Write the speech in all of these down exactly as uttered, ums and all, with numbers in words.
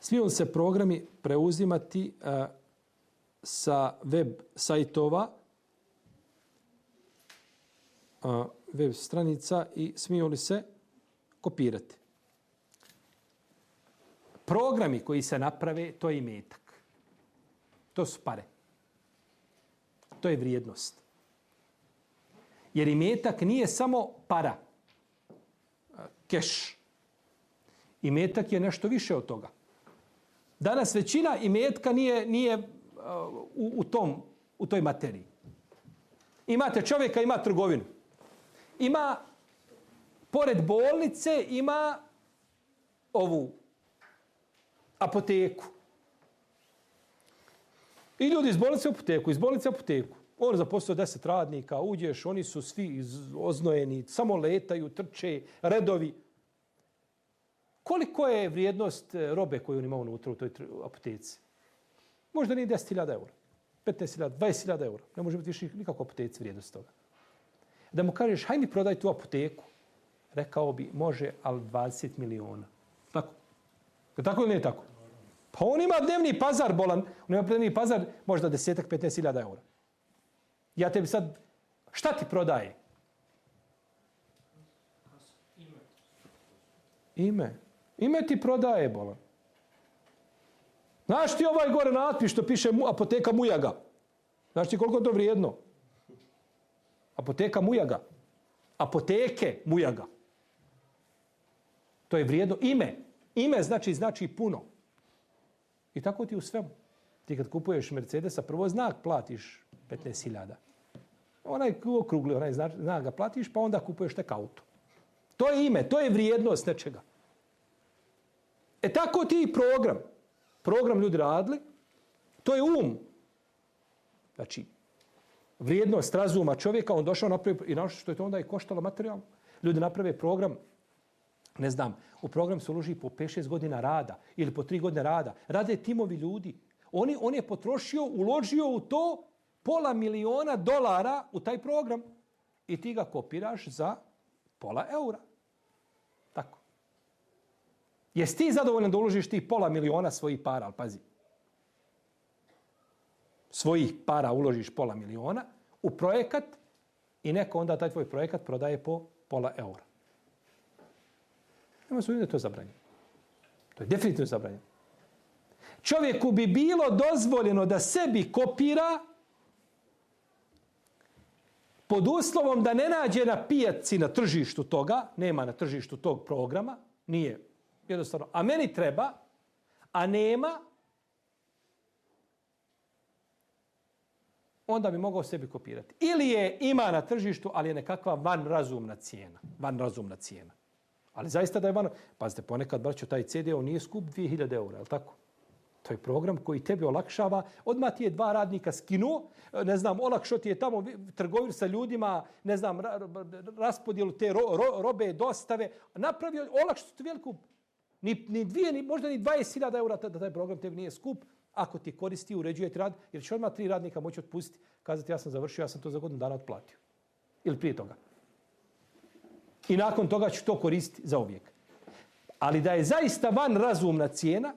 Smiju li se programi preuzimati uh, sa web sajtova, uh, web stranica i smiju li se kopirati? Programi koji se naprave, to je imetak. To su pare. To je vrijednost. Jer imetak nije samo para, keš. Imetak je nešto više od toga. Danas većina imetka nije, nije uh, u, u, tom, u toj materiji. Imate čovjeka, ima trgovinu. Ima, pored bolnice, ima ovu apoteku. I ljudi iz bolnice u apoteku, iz bolnice u apoteku. On zaposlio deset radnika, uđeš, oni su svi oznojeni, samo letaju, trče, redovi. Koliko je vrijednost robe koju on ima unutra u toj apoteci? Možda nije deset hiljada eura, petnaest hiljada, dvadeset hiljada eura. Ne može biti više nikako apoteci vrijednost toga. Da mu kažeš, haj mi prodaj tu apoteku, rekao bi, može, ali dvadeset miliona. Tako? Je tako ili nije tako? Pa on ima dnevni pazar bolan, on ima dnevni pazar možda desetak, petnaest hiljada eura. Ja tebi sad, šta ti prodaje? Ime. Ime. Ime ti prodaje, bolan. Znaš ti ovaj gore natpis što piše apoteka Mujaga? Znaš ti koliko je to vrijedno? Apoteka Mujaga. Apoteke Mujaga. To je vrijedno ime. Ime znači znači puno. I tako ti u svemu. Ti kad kupuješ Mercedesa, prvo znak platiš petnaest hiljada. Onaj okrugli, onaj znak, znak ga platiš, pa onda kupuješ tek auto. To je ime, to je vrijednost nečega. E tako ti i program. Program ljudi radili, to je um. Znači, vrijednost razuma čovjeka, on došao napravi, i našto što je to onda i koštalo materijalno. Ljudi naprave program, ne znam, u program se uloži po pet šest godina rada ili po tri godine rada. Rade timovi ljudi. Oni, on je potrošio, uložio u to pola miliona dolara u taj program i ti ga kopiraš za pola eura. Tako. Jesi ti zadovoljan da uložiš ti pola miliona svojih para, ali pazi. Svojih para uložiš pola miliona u projekat i neko onda taj tvoj projekat prodaje po pola eura. Nema se da je to zabranjeno. To je definitivno zabranjeno. Čovjeku bi bilo dozvoljeno da sebi kopira pod uslovom da ne nađe na pijaci na tržištu toga, nema na tržištu tog programa, nije jednostavno, a meni treba, a nema, onda bi mogao sebi kopirati. Ili je ima na tržištu, ali je nekakva vanrazumna cijena. Vanrazumna cijena. Ali zaista da je van... Pazite, ponekad, braćo, taj C D on nije skup dvije hiljade eura, je li tako? To je program koji tebi olakšava. Odmah ti je dva radnika skinuo, ne znam, olakšao ti je tamo trgovinu sa ljudima, ne znam, raspodjelu te ro, ro, robe, dostave. Napravio, olakšao ti veliku... Ni, ni dvije, ni, možda ni dvadeset hiljada eura da taj program tebi nije skup, ako ti koristi, uređuje ti rad, jer će odmah tri radnika moći otpustiti, kazati ja sam završio, ja sam to za godinu dana otplatio. Ili prije toga. I nakon toga ću to koristiti za uvijek. Ali da je zaista van razumna cijena,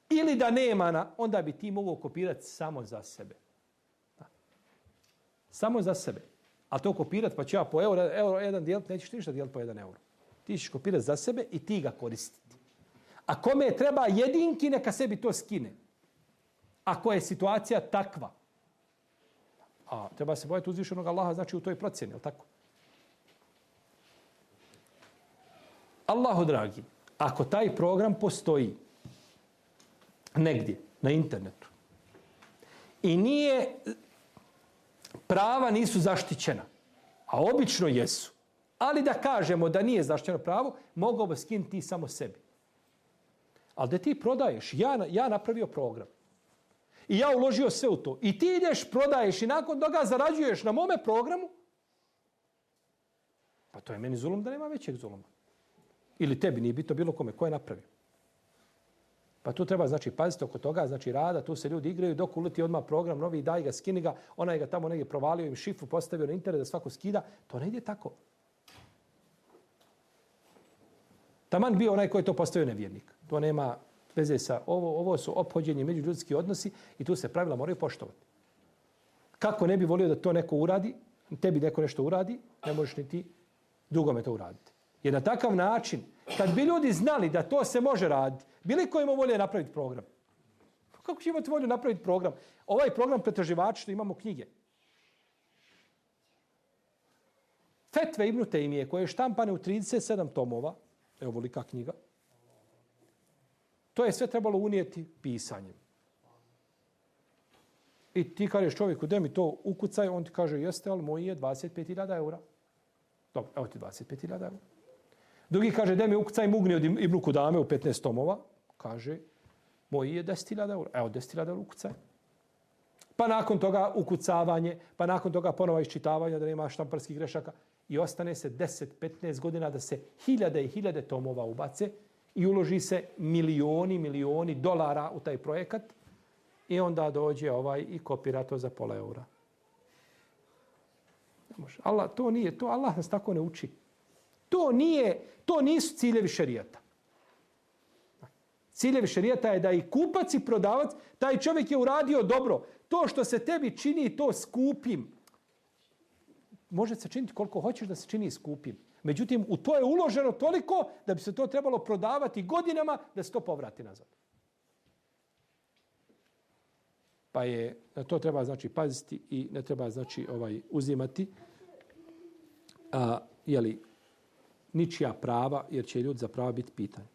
ili da nema na, onda bi ti mogao kopirati samo za sebe. Da. Samo za sebe. A to kopirati, pa ću ja po euro, euro jedan dijeliti, nećeš ništa dijeliti po jedan euro. Ti ćeš kopirati za sebe i ti ga koristiti. A kome treba jedinki, neka sebi to skine. Ako je situacija takva. A treba se bojati uzvišenog Allaha, znači u toj procjeni, je li tako? Allahu dragi, ako taj program postoji negdje na internetu i nije, prava nisu zaštićena, a obično jesu, ali da kažemo da nije zaštićeno pravo, mogao bi skinuti samo sebi. Ali da ti prodaješ, ja, ja napravio program i ja uložio sve u to i ti ideš, prodaješ i nakon toga zarađuješ na mome programu, pa to je meni zulum da nema većeg zuluma. Ili tebi, nije bitno bilo kome, ko je napravio. Pa tu treba, znači, paziti oko toga, znači, rada, tu se ljudi igraju, dok uleti odmah program, novi, daj ga, skini ga, onaj ga tamo negdje provalio, im šifru postavio na internet da svako skida, to ne ide tako. Taman bio onaj koji je to postavio nevjernik. To nema, Veze sa ovo, ovo su ophođenje međuljudski odnosi i tu se pravila moraju poštovati. Kako ne bi volio da to neko uradi, tebi neko nešto uradi, ne možeš ni ti drugome to uraditi. Jer na takav način, kad bi ljudi znali da to se može raditi, bili ko ima volje napraviti program? Kako će imati volju napraviti program? Ovaj program pretraživača što imamo knjige. Fetve Ibn Tejmije koje je štampane u trideset sedam tomova, evo velika knjiga, to je sve trebalo unijeti pisanjem. I ti kažeš čovjeku, da mi to ukucaj, on ti kaže, jeste, ali moj je dvadeset pet hiljada eura. Dobro, evo ti dvadeset pet hiljada eura. Drugi kaže, da mi ukucaj Mugni od Ibn Kudame u petnaest tomova. Kaže, moj je deset hiljada eura. Evo, deset hiljada eura ukucaj. Pa nakon toga ukucavanje, pa nakon toga ponova iščitavanja, da nema štamparskih grešaka. I ostane se deset do petnaest godina da se hiljade i hiljade tomova ubace i uloži se milioni, milioni dolara u taj projekat i onda dođe ovaj i kopira to za pola eura. Allah, to nije, to Allah nas tako ne uči. To nije, to nisu ciljevi šerijata. Ciljevi šerijata je da i kupac i prodavac, taj čovjek je uradio dobro. To što se tebi čini to skupim, može se činiti koliko hoćeš da se čini skupim. Međutim, u to je uloženo toliko da bi se to trebalo prodavati godinama da se to povrati nazad. Pa je, na to treba znači paziti i ne treba znači ovaj uzimati a, jeli, ničija prava, jer će ljudi za prava biti pitani.